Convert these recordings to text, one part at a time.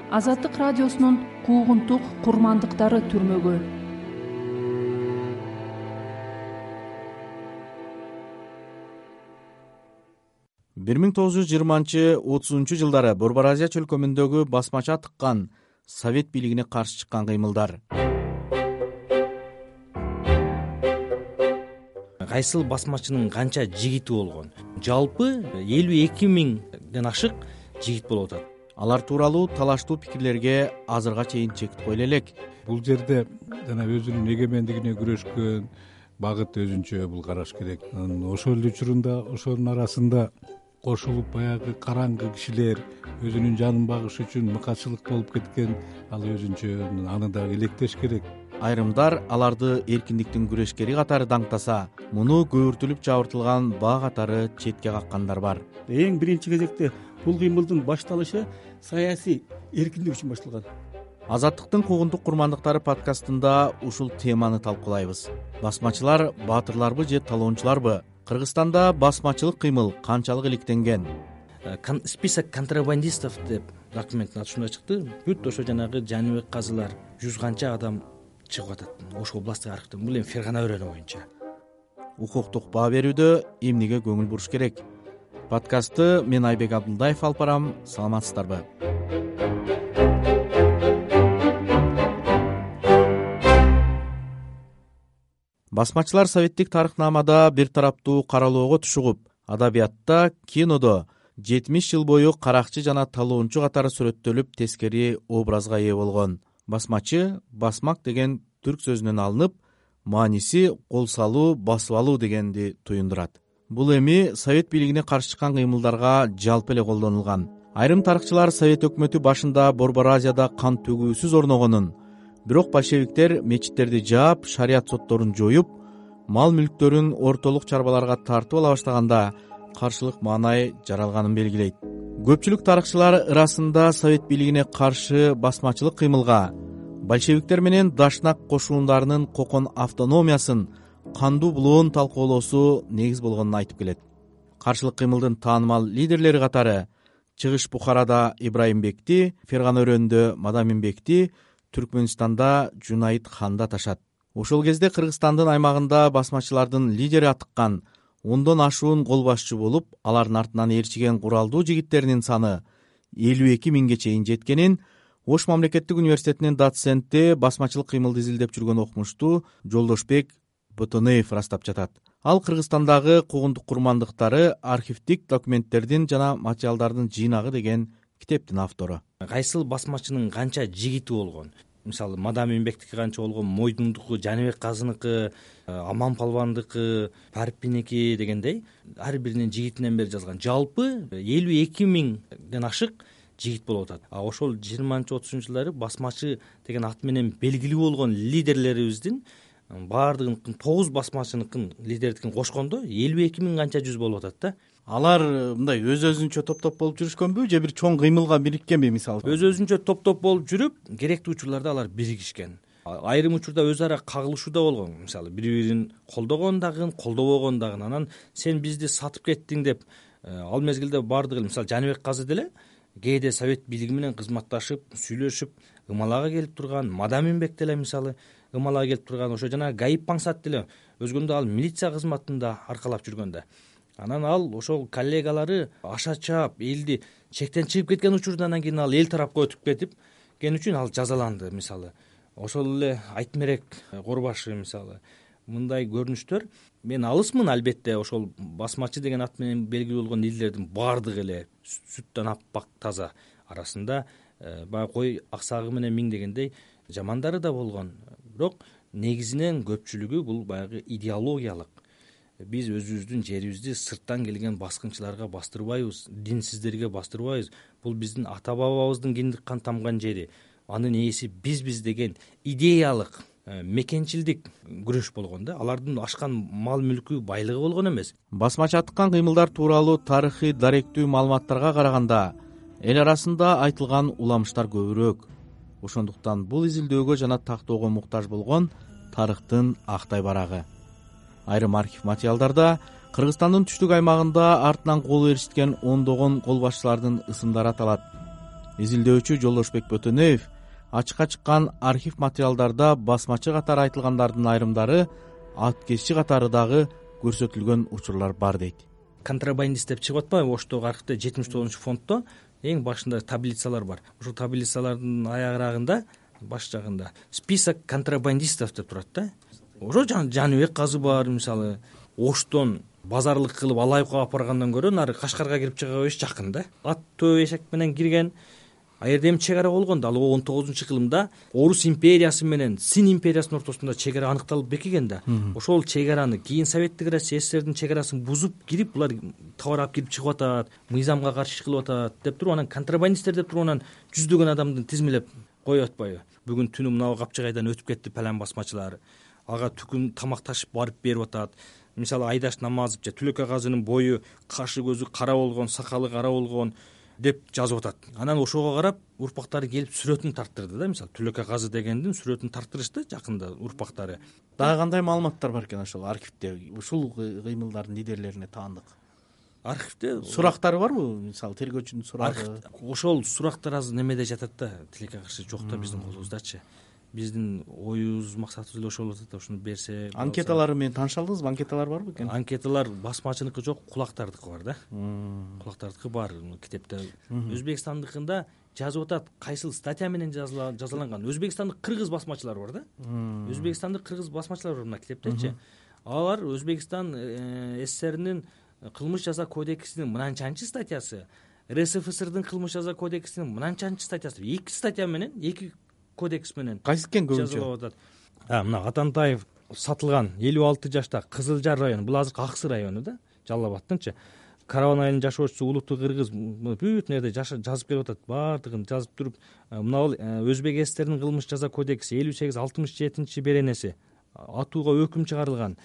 Азаттык радиосунун куугунтук курмандыктары түрмөгө. бир миң 1920-30 жылдары Борбор Азия чөлкөмүндөгү басмачы атыккан Совет бийлигине каршы чыккан кыймылдар. Кайсыл басмачынын канча жигити болгон? Жалпы 52 миңден ашык жигит болуп атат. Алар тууралуу талаштуу пикирлерге азырга чейин чек кое элек. Бул жерде жана өзүнүн эгемендигине күрөшкөн багыт өзүнчө бул караш керек. Ошол эле учурунда ошонун арасында кошулуп баягы караңгы кишилер өзүнүн жанын багыш үчүн мыкачылык болуп кеткен, ал өзүнчө аны да электеш керек. Айрымдар аларды эркиндиктин күрөшкери катары даңктаса, муну көөртүлүп жабыртылган баа катары четке каккандар бар. Эң биринчи кезекте бул кыймылдын башталышы саясий эркиндик үчүн башталган. Азаттыктын куугунтук курмандыктары подкастында ушул теманы талкуулайбыз. Басмачылар баатырларбы же талоончуларбы? Кыргызстанда басмачылык кыймыл канчалык иликтенген? Список контрабандистов деп документтин аты ушундай чыкты. Бүт ошо жанагы Жаныбек казылар 100 канча адам чыгып атат. Ошо областтык архивден. Бул эми Фергана өрөөнү боюнча. Укуктук баа берүүдө эмнеге көңүл буруш керек? Подкастты мен Айбек Абдулдаев алып барам. Саламатсыздарбы? Басмачылар советтик тарыхнамада бир тараптуу каралоого тушугуп, адабиятта, кинодо 70 жыл бою каракчы жана талоончу катары сүрөттөлүп, тескери образга ээ болгон. Басмачы басмак деген түрк сөзүнөн алынып, мааниси кол салуу, басып алуу дегенди туюндурат. Бул эми Совет бийлигине каршы чыккан кыймылдарга жалпы эле колдонулган. Айрым тарыхчылар Совет өкмөтү башында Борбор Азияда кан төгүүсүз орногонун, бирок большевиктер мечиттерди жаап, шарият сотторун жоюп, мал мүлктөрүн ортолук чарбаларга тартып ала баштаганда каршылык маанай жаралганын белгилейт. Көпчүлүк тарыхчылар ырасында Совет бийлигине каршы басмачылык кыймылга большевиктер менен Дашнак кошуундарынын кокон автономиясын, кандуу булоон талкуулоосу негиз болгонун айтып келет. Каршылык кыймылдын таанымал лидерлери катары Чыгыш Бухарада Ибраимбекти, Фергана өрөөнүндө Мадаминбекти, Түркмөнстанда Жунайыт ханды аташат. Ошол кезде Кыргызстандын аймагында басмачылардын лидери атыккан 10дон ашуун кол башчы болуп, алардын артынан ээрчиген куралдуу жигиттеринин саны 52 миңге чейин жеткенин Ош мамлекеттик университетинин доценти, басмачылык кыймылды изилдеп жүргөн окумуштуу Жолдошбек Ботонеев растап жатат. Ал Кыргызстандагы куугунтук курмандыктары, архивдик документтердин жана материалдардын жыйнагы деген китептин автору. Кайсыл басмачынын канча жигити болгон? Мисалы, Мадаминбектики канча болгон, Мойдундуку, Жаныбек казыныкы, Аман палвандыкы, Парпиники дегендей ар биринин жигитинен бери жазган. Жалпы 52 миңден ашык жигит болуп атат. Ошол 20-30 жылдары басмачы деген ат менен белгилүү болгон лидерлерибиздин баардыгын 9 басмачыныкын лидердикин кошкондо 52 миң канча жүз болуп атат да. Алар мындай өз-өзүнчө топ-топ болуп жүрүшкөнбү же бир чоң кыймылга бириккенби мисалы? Өз-өзүнчө топ-топ болуп жүрүп, керектүү учурларда алар биригишкен. Айрым учурда өз ара кагылышуу да болгон. Мисалы, бири-бирин колдогон дагы, колдобогон дагы. Анан сен бизди сатып кеттиң деп, ал мезгилде баардыгы, мисалы, Жаныбек казы деле кээде Совет бийлиги менен кызматташып, сүйлөшүп, ымалага келип турган. Мадаминбек деле мисалы ымалага келип турган. Ошо жана Гаип Паңсат деле өзгөндө ал милиция кызматында аркалап жүргөн да. Анан ал ошол коллегалары аша чаап, элди чектен чыгып кеткен учурдан кийин ал эл тарапка өтүп кетип кен үчүн ал жазаланды. Мисалы, ошол эле Айтмерек Корбашы мисалы мындай көрүнүштөр. Мен алысмын албетте ошол басмачы деген ат менен белгилүү болгон лидерлердин баардыгы эле сүттөн аппак таза. Арасында баягы кой аксагы менен миң дегендей жамандары да болгон. Бирок негизинен көпчүлүгү бул баягы идеологиялык. Биз өзүбүздүн жерибизди сырттан келген баскынчыларга бастырбайбыз, динсиздерге бастырбайбыз. Бул биздин ата бабабыздын киндик кан тамган жери. Анын ээси бизбиз деген идеялык, мекенчилдик күрөш болгон да. Алардын ашкан мал мүлкү, байлыгы болгон эмес. Басмачы атыккан кыймылдар тууралуу тарыхый даректүү маалыматтарга караганда эл арасында айтылган уламыштар көбүрөөк. Ошондуктан бул изилдөөгө жана тактоого муктаж болгон тарыхтын актай барагы. Айрым архив материалдарда Кыргызстандын түштүк аймагында артынан кол ээрчиткен ондогон кол башчылардын ысымдары аталат. изилдөөчү Жолдошбек Бөтөнөев ачыкка чыккан архив материалдарда басмачы катары айтылгандардын айрымдары ат кезчи катары дагы көрсөтүлгөн учурлар бар дейт. Контрабандист деп чыгып атпайбы Оштогу архивде 79-фонддо эң башында таблицалар бар. Ушул таблицалардын аягырагында баш жагында список контрабандистов деп турат да. Ошо Жаныбек казы бар, мисалы Оштон базарлык кылып Алайыкка алып баргандан көрө нары Кашкарга кирип чыга бериш жакын да. Ат төө эшек менен кирген. А жерде эми чек ара болгондо ал 19-кылымда Орус империясы менен Син империясынын ортосунда чек ара аныкталып бекиген да. Ошол чек араны кийин Советтик Россия СССРдин чек арасын бузуп кирип, булар товар алып кирип чыгып атат, мыйзамга каршы иш кылып атат деп туруп, анан контрабандисттер деп туруп анан жүздөгөн адамды тизмелеп коюп атпайбы. Бүгүн түнү мына Капчыгайдан өтүп кетти палан басмачылар. Ага түкүм тамак ташып барып берип атат. Мисалы Айдаш Намазов же Түлөкөй казынын бою, кашы көзү кара болгон, сакалы кара болгон деп жазып атат. Анан ошого карап урпактары келип сүрөтүн тарттырды да. Мисалы Түлөкөй казы дегендин сүрөтүн тарттырышты жакында урпактары. Дагы кандай маалыматтар бар экен ошол архивде? Ушул кыймылдардын лидерлерине таандык архивде сурактары барбы? Мисалы тергөөчүнүн сурагы. Ошол сурактар азыр немеде жатат да, тилекке каршы жок да биздин колубуздачы. Биздин оюбуз, максатыбыз эле ошол болот да, ошону берсе. Анкеталары менен тааныша алдыңызбы? Анкеталар барбы экен? Анкеталар басмачыныкы жок, кулактардыкы бар да. Кулактардыкы бар китепте. Өзбекстандыкында жазып атат, кайсыл статья менен жазаланган. Өзбекстандык кыргыз басмачылар бар да. Өзбекстандык кыргыз басмачылар бар мына китептечи. Алар Өзбекстан СССРнин кылмыш жаза кодексинин мынанчанчы статьясы, РСФСРдин кылмыш жаза кодексинин мынанчанчы статьясы, 2 статья менен, 2 кодекс менен кайсы экен көбүнчө жазалап атат. Мына Атантаев сатылган 56 жашта Кызылжар району, бул азыр Аксы району да, Жалал Абадтынчы. Караван айылынын жашоочусу улуттуу кыргыз бүт нерде жазып келип атат, баардыгын жазып туруп, мына Өзбек СССРнин кылмыш жаза кодекси 58-67 беренеси атууга өкүм чыгарылган.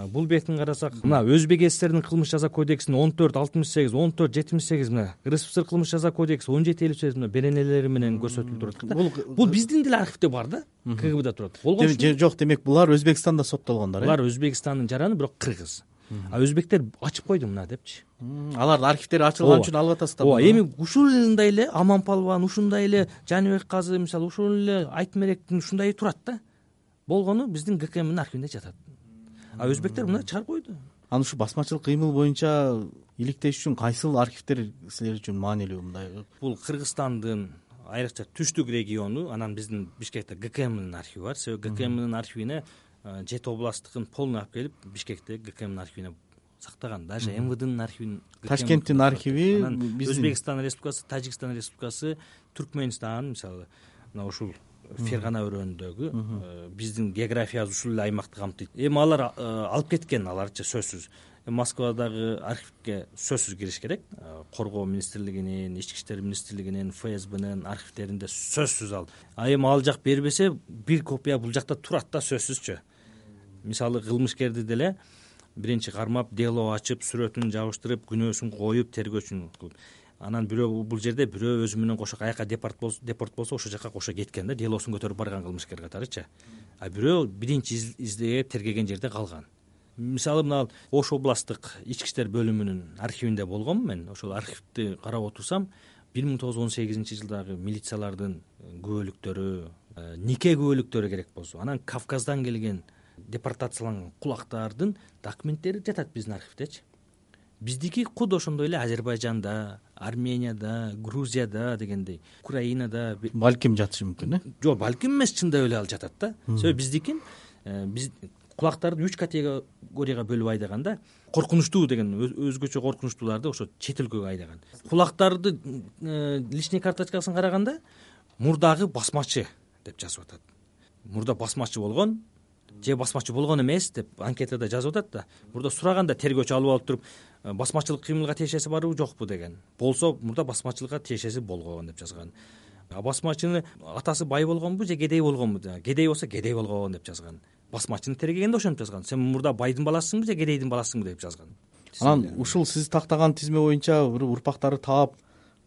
Бул бетин карасак, мына Өзбек СССРнин кылмыш жаза кодексинин 14-68, 14-78 мына РСФСР кылмыш жаза кодекси 17-58 мына беренелери менен көрсөтүлүп турат да. Бул биздин деле архивде бар да, КГБда турат. Жок, демек булар Өзбекстанда соттолгондор. Булар Өзбекстандын жараны, бирок кыргыз. А өзбектер ачып койду мына депчи. Алардын архивдери ачылган үчүн алып атасыздар. Ооба, эми ушундай эле Аман Палван, ушундай эле Жаныбек казы, мисалы ушул эле Айтмеректин ушундай турат да. Болгону биздин ГКМдин архивинде жатат. А өзбектер мына чыгарып койду. Анан ушу басмачылык кыймыл боюнча иликтеш үчүн кайсыл архивдер силер үчүн маанилүү мындай? Бул Кыргызстандын айрыкча түштүк региону, анан биздин Бишкекте ГКМдин архиви бар. Себеби ГКМдин архивине Жет областтыкын полный алып келип Бишкекте ГКМдин архивине сактаган. Даже МВДнын архивин, Ташкенттин архиви, Өзбекстан Республикасы, Тажикстан Республикасы, Түркмөнстан, мисалы мына ушул Фергана өрөөнүндөгү биздин географиябыз ушул эле аймакты камтыйт. Эми алар алып кеткен, аларчы сөзсүз. Москвадагы архивге сөзсүз кириш керек. Коргоо министрлигинин, Ички иштер министрлигинин, ФСБнын архивдеринде сөзсүз ал. Эми ал жак бербесе, бир копия бул жакта турат да сөзсүзчү. Мисалы кылмышкерди деле биринчи кармап, дело ачып, сүрөтүн жабыштырып, күнөөсүн коюп, тергөөчүн кылып. Анан бирөө бул жерде бирөө өзү менен кошо каяка депорт болсо ошол жака кошо кеткен да, делосун көтөрүп барган кылмышкер катарычы. А бирөө биринчи издеп тергеген жерде калган. Мисалы мына Ош областтык ички иштер бөлүмүнүн архивинде болгонмун мен. Ошол архивди карап отурсам, 1918-жылдагы милициялардын күбөлүктөрү, нике күбөлүктөрү керек болсо, анан Кавказдан келген депортацияланган кулактардын документтери жатат биздин архивдечи. Биздики куд ошондой эле Азербайжанда, Арменияда, Грузияда дегендей, Украинада балким жатышы мүмкүн, Жок, балким эмес, чындап эле ал жатат да. Себеби биздикин биз кулактарды 3 категорияга бөлүп айдаганда, коркунучтуу деген өзгөчө коркунучтууларды ошо чет өлкөгө айдаган. Кулактарды личный карточкасын караганда мурдагы басмачы деп жазып атат. Мурда басмачы болгон же басмачы болгон эмес деп анкетада жазып атат да. Мурда сураганда тергөөчү алып алып туруп, басмачылык кыймылга тиешеси барбы, жокпу деген. Болсо мурда басмачылыкка тиешеси болгон деп жазган. Басмачынын атасы бай болгонбу же кедей болгонбу? Кедей болсо кедей болгон деп жазган. Басмачыны тергегенде ошентип жазган. Сен мурда байдын баласысыңбы же кедейдин баласысыңбы деп жазган. Анан ушул сиз тактаган тизме боюнча урпактары таап,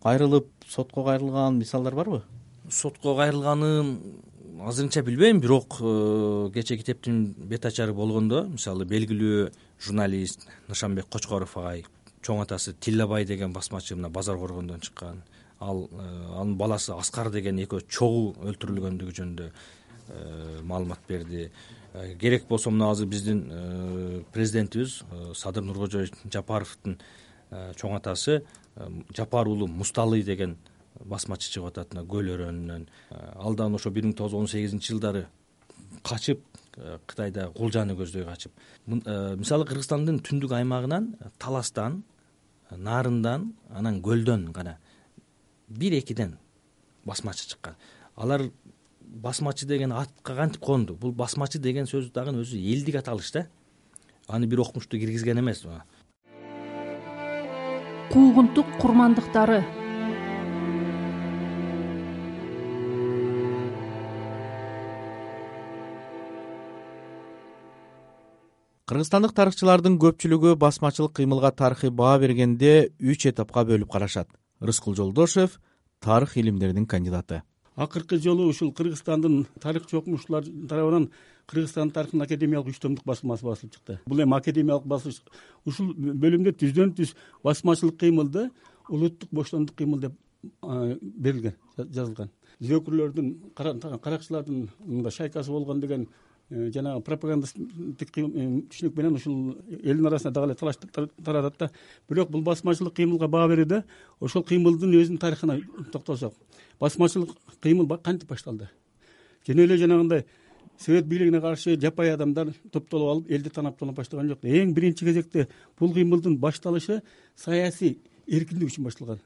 кайрылып, сотко кайрылган мисалдар барбы? Сотко кайрылганын азырынча билбейм, бирок кечээ китептин бет ачары болгондо, мисалы белгилүү журналист Нышанбек Кочкоров агай, чоң атасы Тиллабай деген басмачы мына Базар Коргондон чыккан. анын баласы Аскар деген экөө чогуу өлтүрүлгөндүгү жөнүндө маалымат берди. Керек болсо мына азыр биздин президентибиз Садыр Нуркожоевич Жапаровдун чоң атасы Жапар уулу Мусталый деген басмачы чыгып атат мына Көл өрөөнүнөн. Ал дагы ошо 1918-жылдары качып Кытайда кулжаны көздөй качып. Мисалы Кыргызстандын түндүк аймагынан Таластан, Нарындан, анан Көлдөн гана 1-2ден басмачы чыккан. Алар басмачы деген атка кантип конду? Бул басмачы деген сөз дагы өзү элдик аталыш да. Аны бир окумушту киргизген эмес. Куугунтук курмандыктары. Кыргызстандык тарыхчылардын көпчүлүгү басмачылык кыймылга тарыхый баа бергенде 3 этапка бөлүп карашат. Рыскул Жолдошев тарых илимдеринин кандидаты. Акыркы жолу ушул Кыргызстандын тарыхчы окумуштуулар тарабынан Кыргызстан тарыхынын академиялык 3 томдук басмасы басылып чыкты. Бул эми академиялык басылыш. Ушул бөлүмдө түздөн-түз басмачылык кыймылды улуттук боштондук кыймыл деп берилген, жазылган. Зөөкүрлөрдүн, каракчылардын мында шайкасы болгон деген жанагы пропагандисттик түшүнүк менен ушул элдин арасында дагы эле талаш таратат да. Бирок бул басмачылык кыймылга баа берүүдө ошол кыймылдын өзүнүн тарыхына токтолсок, басмачылык кыймыл кантип башталды? Жөн эле жанагындай Совет бийлигине каршы жапай адамдар топтолуп алып элди танап баштаган жок. Эң биринчи кезекте бул кыймылдын башталышы саясий эркиндик үчүн башталган.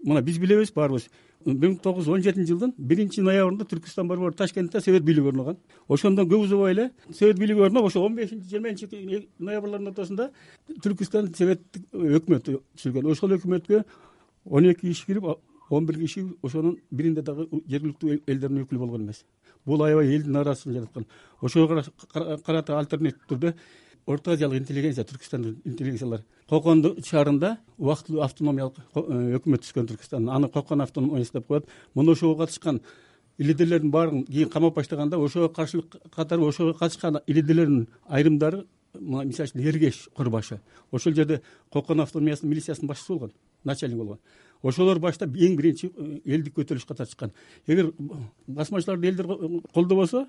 Мына биз билебиз баарыбыз 1917-жылдын 1-ноябрында Түркүстан борбору Ташкентте Совет бийлиги орногон. Ошондон көп узабай эле Совет бийлиги орноп, ошо 15-20 ноябрлардын ортосунда Түркүстан советтик өкмөтү түзүлгөн. Ошол өкмөткө 12 киши кирип, 11 киши ошонун биринде дагы жергиликтүү элдердин өкүлү болгон эмес. Бул аябай элдин арасын жараткан. Ошого карата альтернатив түрдө Орто Азиялык интеллигенция, Түркүстандын интеллигенциялар Кокон шаарында убактылуу автономиялык өкмөт түзгөн Түркүстан. Аны Кокон автономиясы деп коет. Муну ошого катышкан илидерлердин баарын кийин камап баштаганда, ошого каршылык катары ошого катышкан илидерлердин айрымдары, мисалы үчүн Эргеш Курбашы, ошол жерде Кокон автономиясынын милициясынын башчысы болгон, начальник болгон. Ошолор баштап эң биринчи элдик көтөрүлүшкө катышкан. Эгер басмачыларды элдер колдобосо,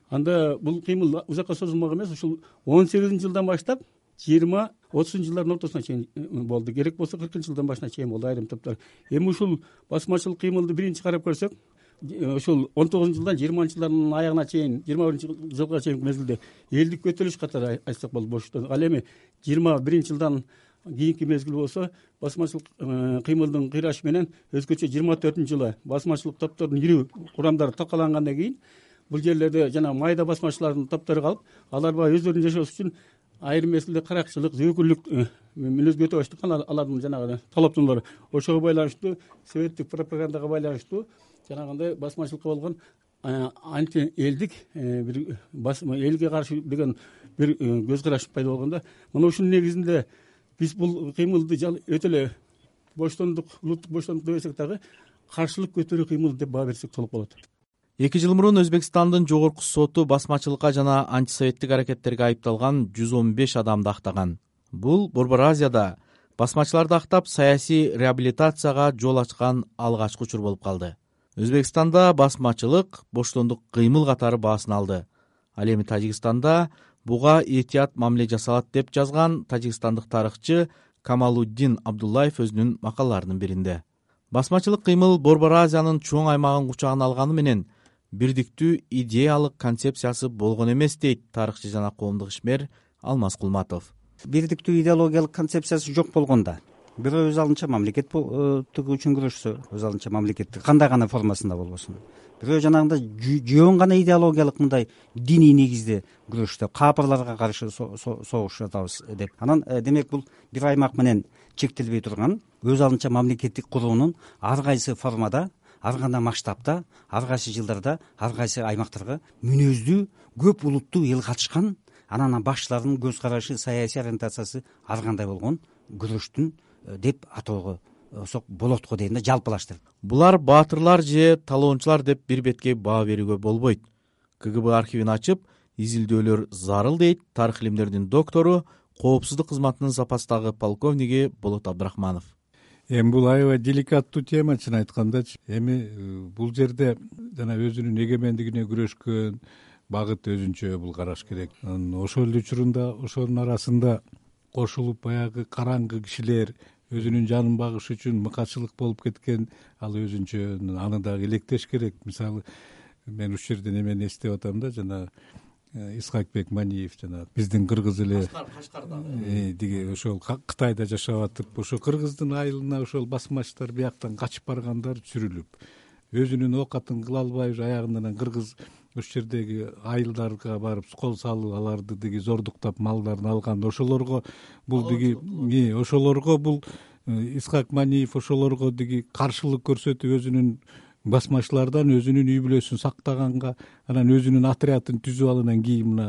анда бул кыймыл узакка созулмак эмес. Ушул 18-жылдан баштап 20-30-жылдардын ортосуна чейин болду. Керек болсо 40-жылдын башына чейин болду айрым топтор. Эми ушул басмачылык кыймылды биринчи карап көрсөк, ушул 19-жылдан 20-жылдардын аягына чейин, 21-жылга чейин мезгилде элдик көтөрүлүш катары айтсак болот боштон. Ал эми 21-жылдан кийинки мезгил болсо басмачылык кыймылдын кыйрашы менен өзгөчө 24-жылы басмачылык топтордун ири курамдары такалангандан кийин бул жерлерде жана майда басмачылардын топтору калып, алар баягы өздөрүнүн жашоосу үчүн айрым мезгилде каракчылык, зөөкүрлүк мүнөзгө өтө баштаган. Алардын жанагы талаптуулары ошого байланыштуу, советтик пропагандага байланыштуу жанагындай басмачылыкка болгон анти элдик бир элге каршы деген бир көз караш пайда болгондо, мына ушунун негизинде биз бул кыймылды өтө эле боштондук, улуттук боштондук дебесек дагы каршылык көтөрүү кыймыл деп баа берсек толук болот. 2 жыл мурун Өзбекстандын жогорку соту басмачылыкка жана антисоветтик аракеттерге айыпталган 115 адамды актаган. Бул Борбор Азияда басмачыларды актап саясий реабилитацияга жол ачкан алгачкы учур болуп калды. Өзбекстанда басмачылык боштондук кыймыл катары баасын алды. Ал эми Тажикстанда буга этият мамиле жасалат деп жазган тажикстандык тарыхчы Камалуддин Абдуллаев өзүнүн макалаларынын биринде. Басмачылык кыймыл Борбор Азиянын чоң аймагын кучагына алганы менен бирдиктүү идеялык концепциясы болгон эмес, дейт тарыхчы жана коомдук ишмер Алмаз Кулматов. Бирдиктүү идеологиялык концепциясы жок болгондо, бирөө өз алынча мамлекеттик үчүн күрөшсө, өз алынча мамлекеттик кандай гана формасында болбосун, бирөө жанагындай жөн гана идеологиялык мындай диний негизде күрөштө капырларга каршы согуш жатабыз деп, анан демек бул бир аймак менен чектелбей турган өз алынча мамлекеттик куруунун ар кайсы формада, ар кандай масштабта, ар кайсы жылдарда, ар кайсы аймактарга мүнөздүү көп улуттуу эл катышкан, анан башчылардын көз карашы, саясий ориентациясы ар кандай болгон күрөштүн деп атоого болот го дейм да, жалпылаштырып. Булар баатырлар же талоончулар деп бир бетке баа берүүгө болбойт. КГБ архивин ачып изилдөөлөр зарыл, дейт тарых илимдеринин доктору, коопсуздук кызматынын запастагы полковниги Болот Абдрахманов. Эми бул аябай деликаттуу тема, чын айткандачы. Эми бул жерде жана өзүнүн эгемендигине күрөшкөн багыт өзүнчө бул караш керек. Ошол эле учурунда ошонун арасында кошулуп баягы караңгы кишилер өзүнүн жанын багыш үчүн мыкачылык болуп кеткен, ал өзүнчө, аны дагы электеш керек. Мисалы, мен ушул жерде эмени эстеп атам да, жана Исхакбек Маниев, жана биздин кыргыз эле диги ошол Кытайда жашап атып, ошо кыргыздын айылына ошол басмачтар бияктан качып баргандар сүрүлүп, өзүнүн оокатын кыла албай аягынан кыргыз ошол жердеги айылдарга барып кол салып, аларды диги зордуктап малдарын алган. Ошолорго бул диги ошолорго бул Исхак Маниев ошолорго диги каршылык көрсөтүп, өзүнүн басмачылардан өзүнүн үй бүлөсүн сактаганга, анан өзүнүн отрядын түзүп алгандан кийин мына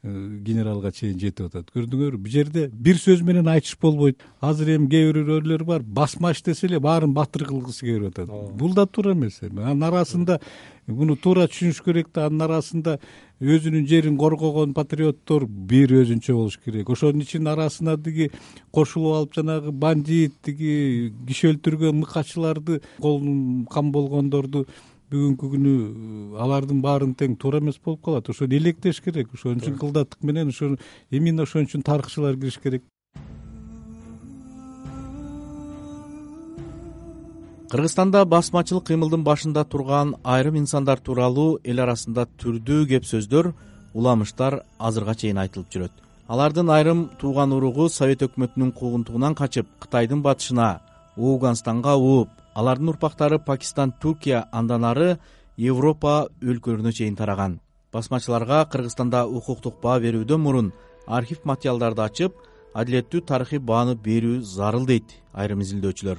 генералга чейин жетип атат. Көрдүңөрбү, бул жерде бир сөз менен айтыш болбойт. Азыр эми кээ бирөөлөр бар, басмач десе эле баарын батыр кылгысы келип атат. Бул да туура эмес. Анын арасында муну туура түшүнүш керек да, анын арасында өзүнүн жерин коргогон патриоттор бир өзүнчө болуш керек. Ошонун ичинин арасына диги кошулуп алып, жанагы бандит, диги киши өлтүргөн мыкачыларды, колун кам болгондорду бүгүнкү күнү алардын баарын тең туура эмес болуп калат. Ошону электеш керек. Ошон үчүн кылдаттык менен ошону именно ошон үчүн тарыхчылар кириш керек. Кыргызстанда басмачылык кыймылдын башында турган айрым инсандар тууралуу эл арасында түрдүү кеп сөздөр, уламыштар азырга чейин айтылып жүрөт. Алардын айрым тууган уругу Совет өкмөтүнүн куугунтугунан качып, Кытайдын батышына, Ооганстанга ууп, алардын урпактары Пакистан, Туркия, андан ары Европа өлкөлөрүнө чейин тараган. Басмачыларга Кыргызстанда укуктук баа берүүдөн мурун архив материалдарды ачып, адилеттүү тарыхый бааны берүү зарыл дейт айрым изилдөөчүлөр.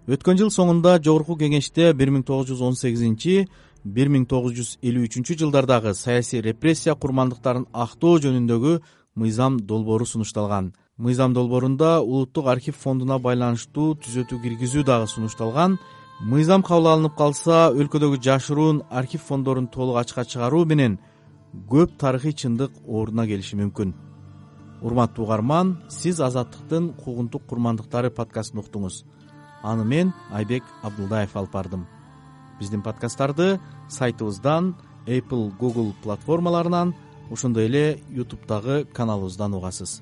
Өткөн жыл соңунда Жогорку Кеңеште 1918-1953 жылдардагы саясий репрессия курмандыктарын актоо жөнүндөгү мыйзам долбоору сунушталган. Мыйзам долбоорунда Улуттук архив фондуна байланыштуу түзөтүү киргизүү дагы сунушталган. Мыйзам кабыл алынып калса, өлкөдөгү жашыруун архив фондорун толук ачыкка чыгаруу менен көп тарыхый чындык ордуна келиши мүмкүн. Урматтуу угарман, сиз Азаттыктын куугунтук курмандыктары подкастын уктуңуз. Аны мен Айбек Абдулдаев алып бардым. Биздин подкасттарды сайтыбыздан, Apple, Google платформаларынан, ошондой эле YouTube'дагы каналыбыздан угасыз.